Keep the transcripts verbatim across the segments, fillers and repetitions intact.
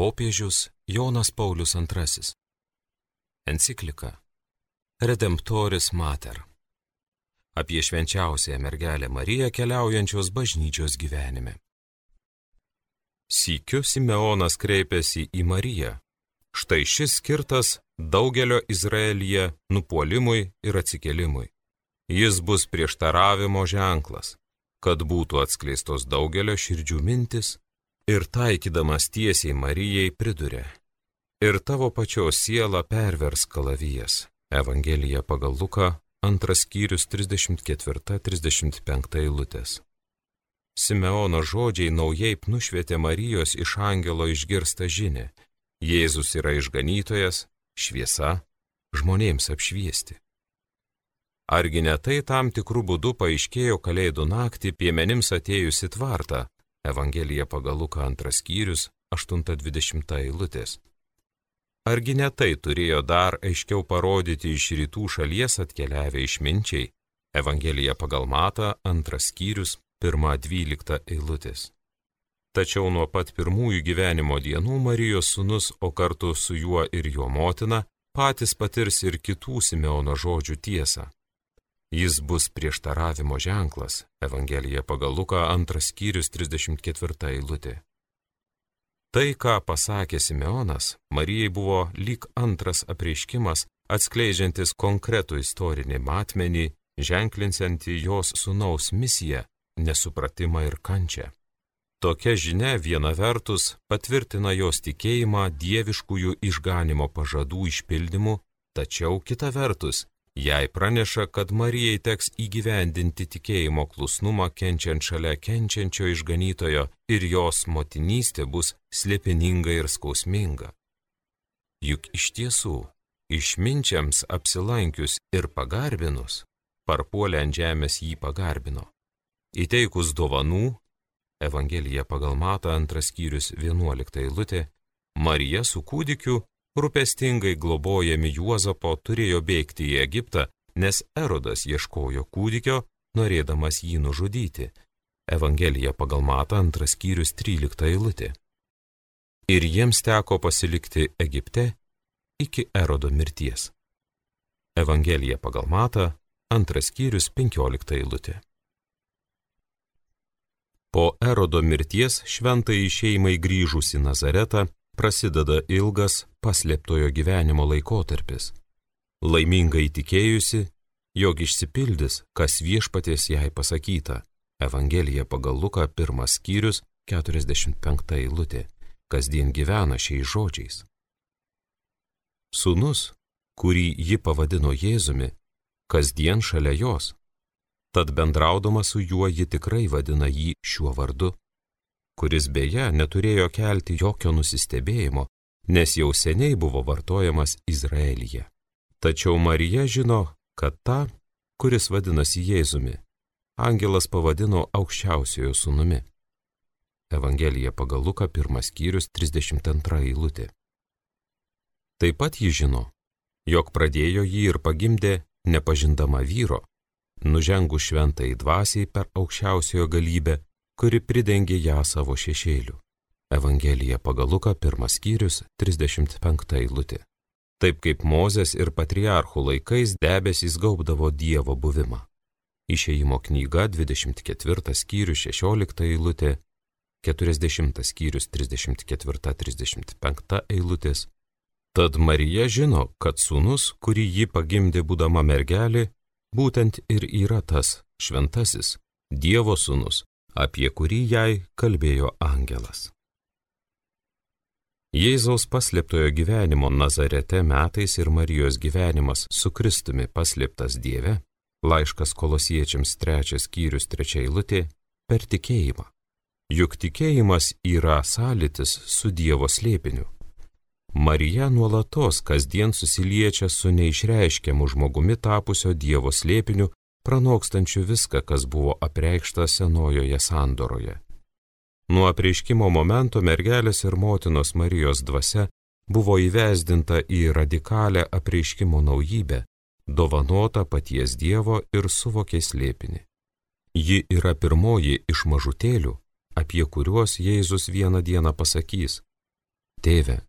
Popiežius Jonas Paulius antrasis. Enciklika Redemptoris Mater. Apie švenčiausiąją mergelę Mariją keliaujančios bažnyčios gyvenime. Sykiu Simeonas kreipėsi į Mariją. Štai šis skirtas daugelio Izraelyje nupuolimui ir atsikėlimui. Jis bus prieštaravimo ženklas, kad būtų atskleistos daugelio širdžių mintis, ir taikydamas tiesiai Marijai pridurė: ir tavo pačios sielą pervers kalavijas. Evangelija pagal Luką, antras skyrius, trisdešimt ketvirta trisdešimt penkta eilutės. Simeono žodžiai naujai nušvietė Marijos iš angelo išgirstą žinią. Jėzus yra išganytojas, šviesa, žmonėms apšviesti. Argi ne tai tam tikrų būdų paaiškėjo kalėdų naktį piemenims atėjus į tvartą? Evangelija pagal Luką, antras skyrius, aštunta dvidešimta eilutės. Argi ne tai turėjo dar aiškiau parodyti iš rytų šalies atkeliavę išminčiai? Evangelija pagal Matą, antras skyrius, pirma dvylikta eilutės. Tačiau nuo pat pirmųjų gyvenimo dienų Marijos sūnus, o kartu su juo ir jo motina, patys patirs ir kitų Simeono žodžių tiesą. Jis bus prieštaravimo ženklas. Evangelija pagal Luką, antras skyrius, trisdešimt ketvirta eilutė. Tai, ką pasakė Simeonas, Marijai buvo lyg antras apreiškimas, atskleidžiantis konkretų istorinį matmenį, ženklinsiantį jos sūnaus misiją, nesupratimą ir kančią. Tokia žinia viena vertus patvirtina jos tikėjimą dieviškųjų išganimo pažadų išpildymu, tačiau kita vertus jai praneša, kad Marijai teks įgyvendinti tikėjimo klusnumą kenčiant šalia kenčiančio išganytojo ir jos motinystė bus slėpininga ir skausminga. Juk iš tiesų, išminčiams apsilankius ir pagarbinus, parpuolę ant žemės jį pagarbino. Įteikus dovanų, Evangelija pagal Matą, antras skyrius, vienuolikta eilutė, Marija su kūdikiu, rūpestingai globojami Juozapo, turėjo bėgti į Egiptą, nes Erodas ieškojo kūdikio, norėdamas jį nužudyti. Evangelija pagal Matą, antras skyrius, trylikta eilutė. Ir jiems teko pasilikti Egipte iki Erodo mirties. Evangelija pagal Matą, antras skyrius, penkiolikta eilutė. Po Erodo mirties šventai šeimai grįžus į Nazaretą prasideda ilgas paslėptojo gyvenimo laikotarpis. Laimingai tikėjusi, jog išsipildys, kas viešpaties jai pasakyta. Evangelija pagal Luką, pirmas skyrius, keturiasdešimt penkta eilutė. Kasdien gyvena šiais žodžiais. Sūnus, kurį ji pavadino Jėzumi, kasdien šalia jos. Tad bendraudama su juo ji tikrai vadina jį šiuo vardu, kuris beje neturėjo kelti jokio nusistebėjimo, nes jau seniai buvo vartojamas Izraelyje. Tačiau Marija žino, kad tą, kuris vadinasi Jėzumi, angelas pavadino aukščiausiojo sūnumi. Evangelija pagal Luką, pirmas skyrius, trisdešimt antra eilutė. Taip pat ji žino, jog pradėjo jį ir pagimdė nepažindama vyro, nužengus šventai dvasiai per aukščiausiojo galybę, kuri pridengė ją savo šešėliu. Evangelija pagal Luką, pirmas skyrius, trisdešimt penkta eilutė. Taip kaip Mozės ir patriarchų laikais debesys gaubdavo Dievo buvimą. Išėjimo knyga, dvidešimt ketvirtas skyrius, šešiolikta eilutė, keturiasdešimtas skyrius, trisdešimt ketvirta trisdešimt penkta eilutės. Tad Marija žino, kad sūnus, kurį ji pagimdė būdama mergelė, būtent ir yra tas šventasis Dievo sūnus, apie kurį jai kalbėjo angelas. Jėzaus paslėptojo gyvenimo Nazarete metais ir Marijos gyvenimas su Kristumi paslėptas Dieve, laiškas Kolosiečiams trečias skyrius, trečia eilutė, per tikėjimą. Juk tikėjimas yra sąlytis su Dievo slėpiniu. Marija nuolatos kasdien susiliečia su neišreiškiamu žmogumi tapusio Dievo slėpiniu, pranokstančiu viską, kas buvo apreikšta senojoje sandoroje. Nuo apreiškimo momento mergelės ir motinos Marijos dvasia buvo įvesdinta į radikalią apreiškimo naujybę, dovanota paties Dievo ir suvokė slėpinį. Ji yra pirmoji iš mažutėlių, apie kuriuos Jėzus vieną dieną pasakys: Tėve,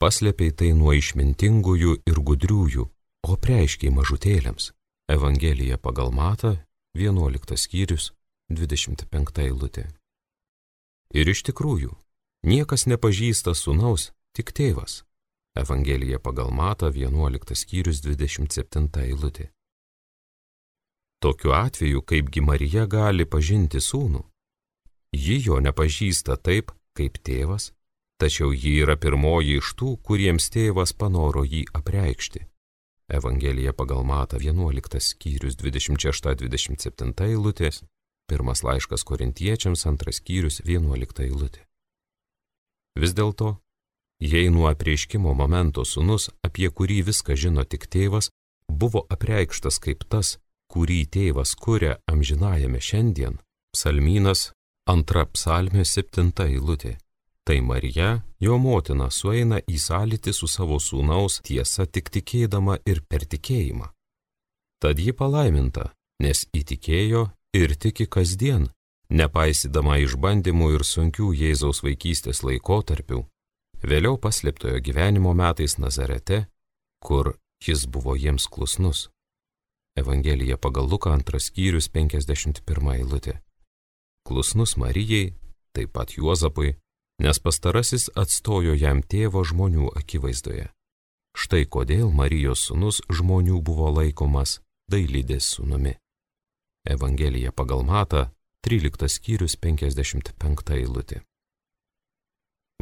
paslėpei tai nuo išmintingųjų ir gudriųjų, o preiškiai mažutėliams. Evangelija pagal Matą, vienuoliktas skyrius, dvidešimt penkta eilutė. Ir iš tikrųjų, niekas nepažįsta sūnaus, tik tėvas. Evangelija pagal Matą, vienuoliktas skyrius, dvidešimt septinta eilutė. Tokiu atveju, kaipgi Marija gali pažinti sūnų? Ji jo nepažįsta taip, kaip tėvas, tačiau ji yra pirmoji iš tų, kuriems tėvas panoro jį apreikšti. Evangelija pagal Matą, vienuoliktas skyrius, dvidešimt šešta dvidešimt septinta eilutės, pirmas laiškas Korintiečiams, antras skyrius, vienuolikta eilutė. Vis dėlto, jei nuo apreiškimo momento sūnus, apie kurį viską žino tik tėvas, buvo apreikštas kaip tas, kurį tėvas kuria amžinajame šiandien, psalmynas, antra psalmė, septinta eilutė. Tai Marija, jo motina, sueina į sąlytį su savo sūnaus tiesa tik tikėdama ir per tikėjimą. Tad ji palaiminta, nes įtikėjo ir tiki kasdien, nepaisydama išbandymų ir sunkių Jėzaus vaikystės laikotarpių, vėliau paslėptojo gyvenimo metais Nazarete, kur jis buvo jiems klusnus. Evangelija pagal Luką, antras skyrius, penkiasdešimt pirma eilutė. Klusnus Marijai, taip pat Juozapui, nes pastarasis atstojo jam tėvo žmonių akivaizdoje. Štai kodėl Marijos sūnus žmonių buvo laikomas dailidės sūnumi. Evangelija pagal Matą, tryliktas skyrius, penkiasdešimt penkta eilutė.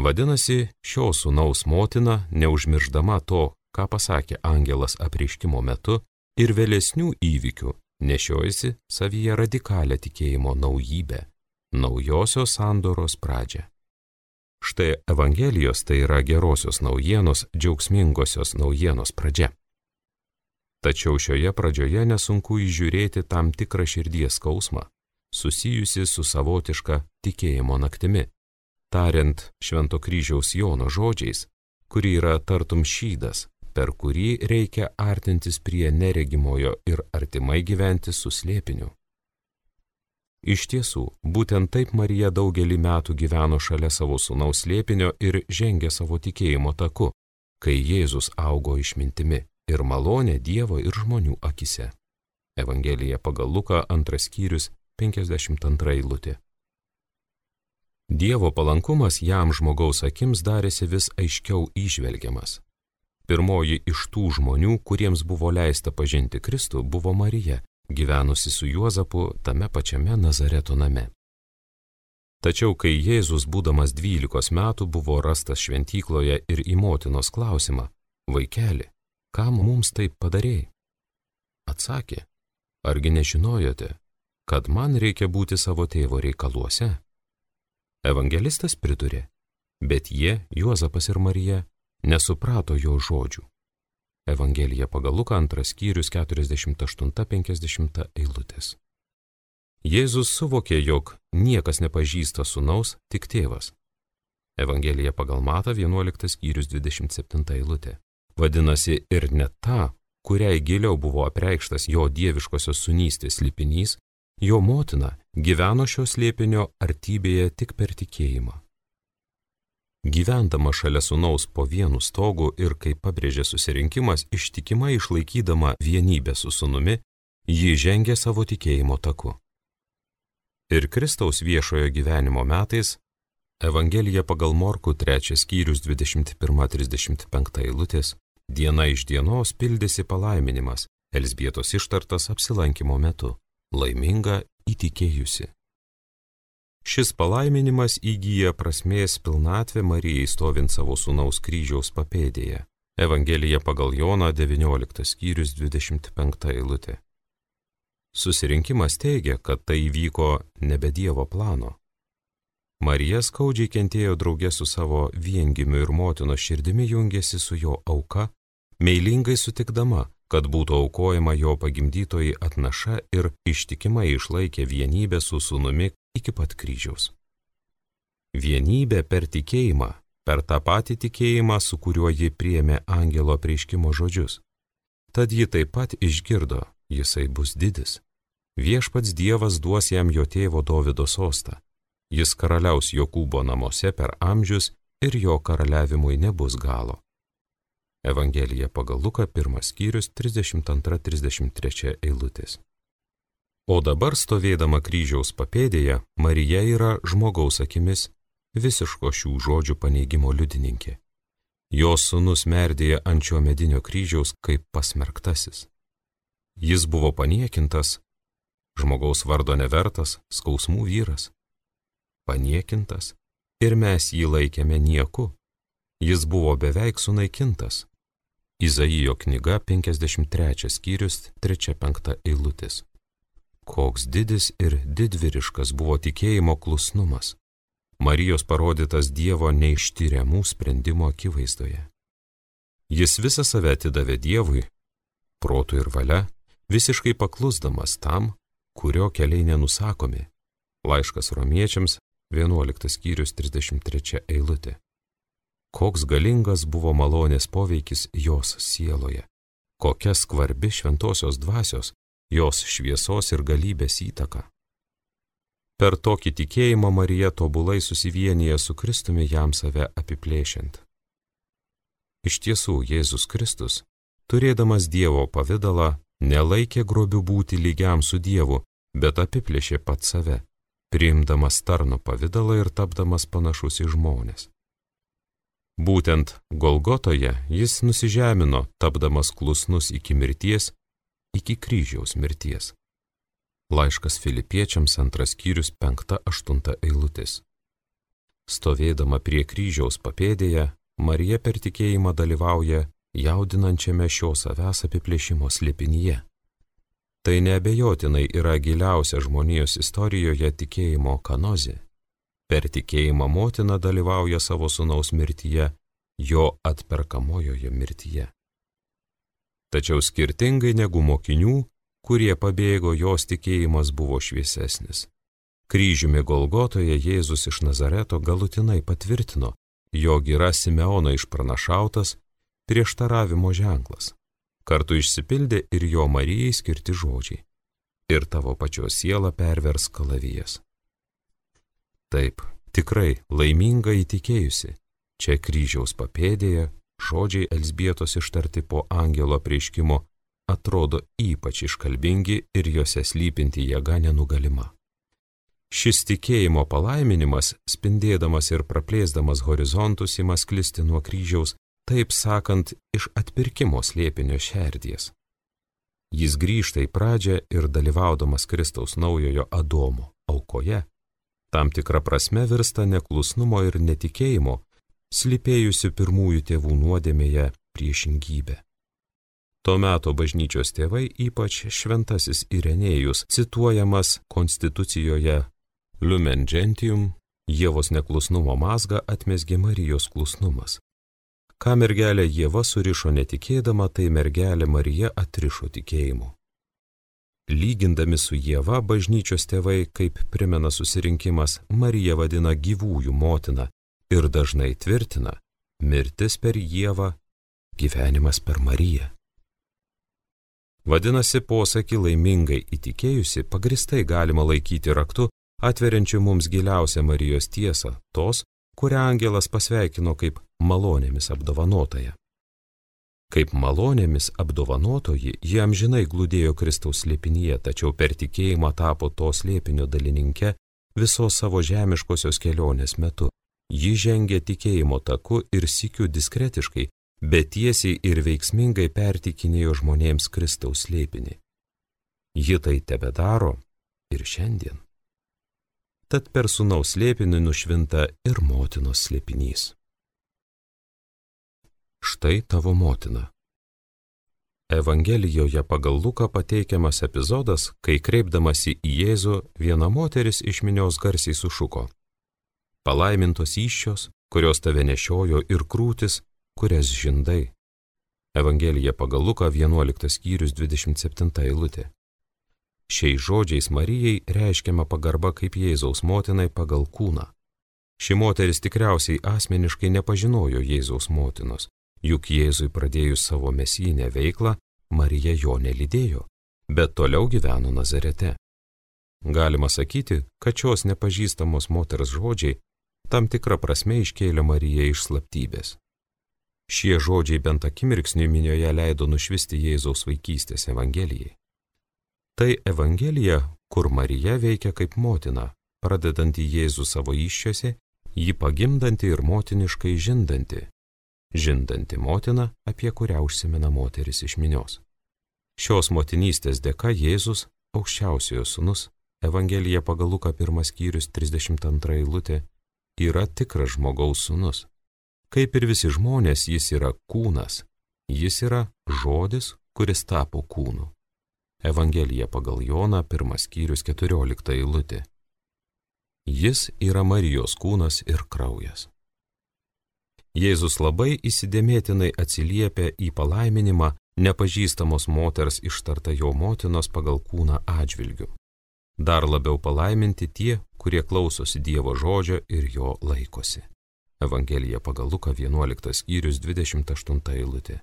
Vadinasi, šio sūnaus motina, neužmirždama to, ką pasakė angelas apreiškimo metu, ir vėlesnių įvykių nešiojasi savyje radikalią tikėjimo naujybę, naujosios sandoros pradžią. Štai Evangelijos, tai yra gerosios naujienos, džiaugsmingosios naujienos pradžia. Tačiau šioje pradžioje nesunku įžiūrėti tam tikrą širdies skausmą, susijusi su savotiška tikėjimo naktimi, tariant Švento kryžiaus Jono žodžiais, kuri yra tartum šydas, per kurį reikia artintis prie neregimojo ir artimai gyventi su slėpiniu. Iš tiesų, būtent taip Marija daugelį metų gyveno šalia savo sūnaus slėpinio ir žengė savo tikėjimo taku, kai Jėzus augo išmintimi ir malonė Dievo ir žmonių akise. Evangelija pagal Luką, antras skyrius, penkiasdešimt antra eilutė. Dievo palankumas jam žmogaus akims darėsi vis aiškiau įžvelgiamas. Pirmoji iš tų žmonių, kuriems buvo leista pažinti Kristų, buvo Marija, gyvenusi su Juozapu tame pačiame Nazareto name. Tačiau, kai Jėzus, būdamas dvylikos metų, buvo rastas šventykloje ir į motinos klausimą, vaikeli, kam mums taip padarėjai? Atsakė, argi nežinojote, kad man reikia būti savo tėvo reikaluose? Evangelistas pridurė, bet jie, Juozapas ir Marija, nesuprato jo žodžių. Evangelija pagal Luką, antras skyrius, keturiasdešimt aštunta penkiasdešimta eilutės. Jėzus suvokė, jog niekas nepažįsta sūnaus, tik tėvas. Evangelija pagal Matą, vienuoliktas skyrius, dvidešimt septinta eilutė. Vadinasi, ir net ta, kuriai giliau buvo apreikštas jo dieviškosios sūnystės slėpinys, jo motina gyveno šio slėpinio artybėje tik per tikėjimą. Gyvendama šalia sūnaus po vienu stogu ir, kaip pabrėžė susirinkimas, ištikimai išlaikydama vienybę su sūnumi, ji žengė savo tikėjimo taku. Ir Kristaus viešojo gyvenimo metais, Evangelija pagal Morkų, trečias skyrius, dvidešimt pirma trisdešimt penkta eilutės, diena iš dienos pildėsi palaiminimas, Elzbietos ištartas apsilankimo metu, laiminga įtikėjusi. Šis palaiminimas įgyja prasmės pilnatvę Marijai stovint savo sūnaus kryžiaus papėdėje. Evangelija pagal Joną, devynioliktas skyrius, dvidešimt penkta eilutė. Susirinkimas teigia, kad tai įvyko nebe Dievo plano. Marija skaudžiai kentėjo drauge su savo viengimiu ir motinos širdimi jungėsi su jo auka, meilingai sutikdama, kad būtų aukojama jo pagimdytoji atnaša ir ištikimai išlaikė vienybę su sūnumi iki pat kryžiaus. Vienybė per tikėjimą, per tą patį tikėjimą, su kuriuo ji priėmė angelo apreiškimo žodžius. Tad ji taip pat išgirdo, jisai bus didis. Viešpats Dievas duos jam jo tėvo Dovydo sostą. Jis karaliaus Jokūbo namuose per amžius ir jo karaliavimui nebus galo. Evangelija pagal Luką, pirmas skyrius, trisdešimt antra trisdešimt trečia eilutės. O dabar stovėdama kryžiaus papėdėje, Marija yra žmogaus akimis visiško šių žodžių paneigimo liudininkė. Jos sūnus merdėja ant šio medinio kryžiaus kaip pasmerktasis. Jis buvo paniekintas, žmogaus vardo nevertas, skausmų vyras. Paniekintas ir mes jį laikėme nieku. Jis buvo beveik sunaikintas. Izaijo knyga penkiasdešimt trečias skyrius, trečia penkta eilutės. Koks didis ir didvyriškas buvo tikėjimo klusnumas. Marijos parodytas Dievo neištyriamų sprendimo akivaizdoje. Jis visą save atidavė Dievui, protu ir valia, visiškai paklusdamas tam, kurio keliai nenusakomi. Laiškas romiečiams, vienuoliktas skyrius, trisdešimt trečia eilutė. Koks galingas buvo malonės poveikis jos sieloje, kokia skvarbi šventosios dvasios, jos šviesos ir galybės įtaka. Per tokį tikėjimą Marija tobulai susivienyje su Kristumi jam save apiplėšiant. Iš tiesų, Jėzus Kristus, turėdamas Dievo pavidalą, nelaikė grobiu būti lygiam su Dievu, bet apiplėšė pat save, priimdamas tarno pavidalą ir tapdamas panašus į žmones. Būtent Golgotoje jis nusižemino, tapdamas klusnus iki mirties, iki kryžiaus mirties. Laiškas Filipiečiams, antras skyrius, penkta aštunta eilutės. Stovėdama prie kryžiaus papėdėje, Marija per tikėjimą dalyvauja jaudinančiame šio savęs apiplėšimo slėpinyje. Tai neabejotinai yra giliausia žmonijos istorijoje tikėjimo kanozė. Per tikėjimą motina dalyvauja savo sūnaus mirtyje, jo atperkamojoje mirtyje. Tačiau skirtingai negu mokinių, kurie pabėgo, jos tikėjimas buvo šviesesnis. Kryžiumi Golgotoje Jėzus iš Nazareto galutinai patvirtino, jog yra Simeono išpranašautas prieštaravimo ženklas. Kartu išsipildė ir jo Marijai skirti žodžiai. Ir tavo pačios sielą pervers kalavijas. Taip, tikrai laiminga įtikėjusi, čia kryžiaus papėdėje žodžiai Elzbietos ištarti po angelo apreiškimo atrodo ypač iškalbingi ir juose slypinti jėga nenugalima. Šis tikėjimo palaiminimas, spindėdamas ir praplėsdamas horizontus, ima sklisti nuo kryžiaus, taip sakant, iš atpirkimo slėpinio šerdies. Jis grįžta į pradžią ir dalyvaudamas Kristaus naujojo Adomo aukoje, tam tikra prasme virsta neklusnumo ir netikėjimo, slypėjusių pirmųjų tėvų nuodėmėje priešingybė. To meto bažnyčios tėvai, ypač šventasis Irenėjus, cituojamas konstitucijoje Lumen Gentium, Ievos neklusnumo mazgą atmesgė Marijos klusnumas. Ką mergelė Ieva surišo netikėdama, tai mergelė Marija atrišo tikėjimu. Lygindami su Ieva, bažnyčios tėvai, kaip primena susirinkimas, Mariją vadina gyvųjų motina ir dažnai tvirtina, mirtis per Ievą, gyvenimas per Mariją. Vadinasi, posakį laimingai įtikėjusi pagristai galima laikyti raktu, atveriančiu mums giliausią Marijos tiesą, tos, kurią angelas pasveikino kaip malonėmis apdovanotoja. Kaip malonėmis apdovanotoji, ji amžinai glūdėjo Kristaus slėpinyje, tačiau per tikėjimą tapo to slėpinio dalininke visos savo žemiškosios kelionės metu. Ji žengė tikėjimo taku ir sykiu diskretiškai, bet tiesiai ir veiksmingai pertikinėjo žmonėms Kristaus slėpinį. Ji tai tebedaro ir šiandien. Tad per sūnaus slėpinį nušvinta ir motinos slėpinys. Štai tavo motina. Evangelijoje pagal Luką pateikiamas epizodas, kai kreipdamasi į Jėzų, viena moteris iš minios garsiai sušuko: palaimintos įsčios, kurios tave nešiojo, ir krūtis, kurias žindai. Evangelija pagal Luką vienuoliktas skyrius dvidešimt septinta eilutė. Šiais žodžiais Marijai reiškiama pagarba kaip Jėzaus motinai pagal kūną. Ši moteris tikriausiai asmeniškai nepažinojo Jėzaus motinos, juk Jėzui pradėjus savo mesijinę veiklą, Marija jo nelydėjo, bet toliau gyveno Nazarete. Galima sakyti, kad šios nepažįstamos moters žodžiai tam tikrą prasme iškėlė Mariją iš slaptybės. Šie žodžiai bent akimirksniui minioje leido nušvisti Jėzaus vaikystės evangelijai. Tai evangelija, kur Marija veikia kaip motina, pradedanti Jėzų savo įsčiose, jį pagimdanti ir motiniškai žindanti. Žindanti motina, apie kurią užsimena moteris iš minios. Šios motinystės dėka Jėzus, aukščiausiojo sūnus, Evangelija pagal Luką pirmas skyrius trisdešimt antra eilutė, yra tikras žmogaus sūnus. Kaip ir visi žmonės, jis yra kūnas. Jis yra žodis, kuris tapo kūnu. Evangelija pagal Joną pirmas skyrius keturiolikta eilutė. Jis yra Marijos kūnas ir kraujas. Jėzus labai įsidėmėtinai atsiliepia į palaiminimą nepažįstamos moters ištarta jo motinos pagal kūną atžvilgiu. Dar labiau palaiminti tie, kurie klausosi Dievo žodžio ir jo laikosi. Evangelija pagal Luką vienuoliktas skyrius dvidešimt aštunta eilutė.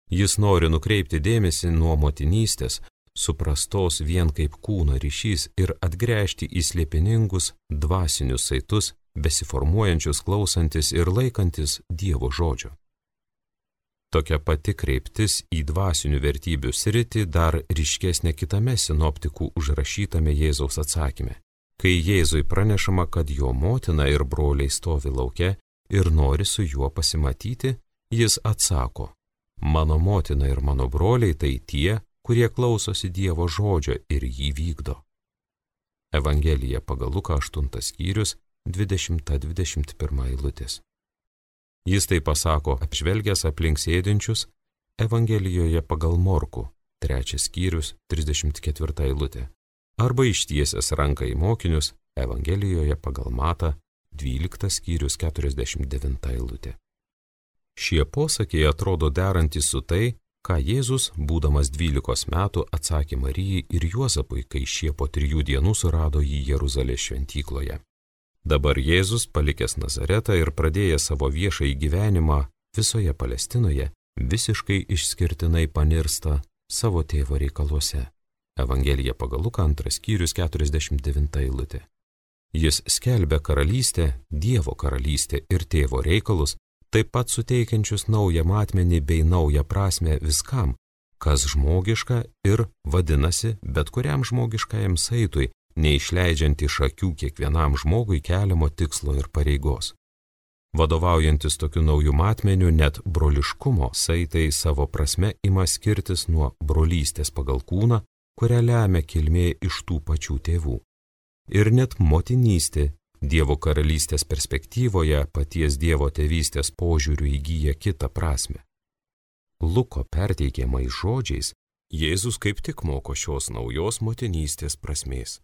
Jis nori nukreipti dėmesį nuo motinystės, suprastos vien kaip kūno ryšys ir atgręžti į slėpiningus dvasinius saitus, besiformuojančius klausantis ir laikantis Dievo žodžio. Tokia pati kreiptis į dvasinių vertybių sritį dar ryškesnė kitame sinoptikų užrašytame Jėzaus atsakyme. Kai Jėzui pranešama, kad jo motina ir broliai stovi lauke ir nori su juo pasimatyti, jis atsako: mano motina ir mano broliai tai tie, kurie klausosi Dievo žodžio ir jį vykdo. Evangelija pagal Luką aštuntas skyrius dvidešimta dvidešimt pirma eilutės. Jis tai pasako apžvelgęs aplink sėdinčius Evangelijoje pagal Morkų, trečias skyrius, trisdešimt ketvirta eilutė, arba ištiesęs ranką į mokinius Evangelijoje pagal Matą, dvyliktas skyrius, keturiasdešimt devinta eilutė. Šie posakiai atrodo derantys su tai, ką Jėzus, būdamas dvylikos metų, atsakė Marijai ir Juozapui, kai šie po trijų dienų surado jį Jeruzalės šventykloje. Dabar Jėzus, palikęs Nazaretą ir pradėjęs savo viešąjį gyvenimą visoje Palestinoje, visiškai išskirtinai panirsta savo tėvo reikaluose. Evangelija pagal Luką antras skyrius keturiasdešimt devinta eilutė. Jis skelbia karalystę, Dievo karalystę ir tėvo reikalus, taip pat suteikiančius naują matmenį bei naują prasmę viskam, kas žmogiška ir vadinasi bet kuriam žmogiškajam saitui, neišleidžiant iš akių kiekvienam žmogui keliamo tikslo ir pareigos. Vadovaujantis tokiu naujų matmeniu, net broliškumo saitai savo prasme ima skirtis nuo brolystės pagal kūną, kurią lemia kilmė iš tų pačių tėvų. Ir net motinystė Dievo karalystės perspektyvoje paties Dievo tėvystės požiūrių įgyja kitą prasme. Luko perteikiamais žodžiais Jėzus kaip tik moko šios naujos motinystės prasmės.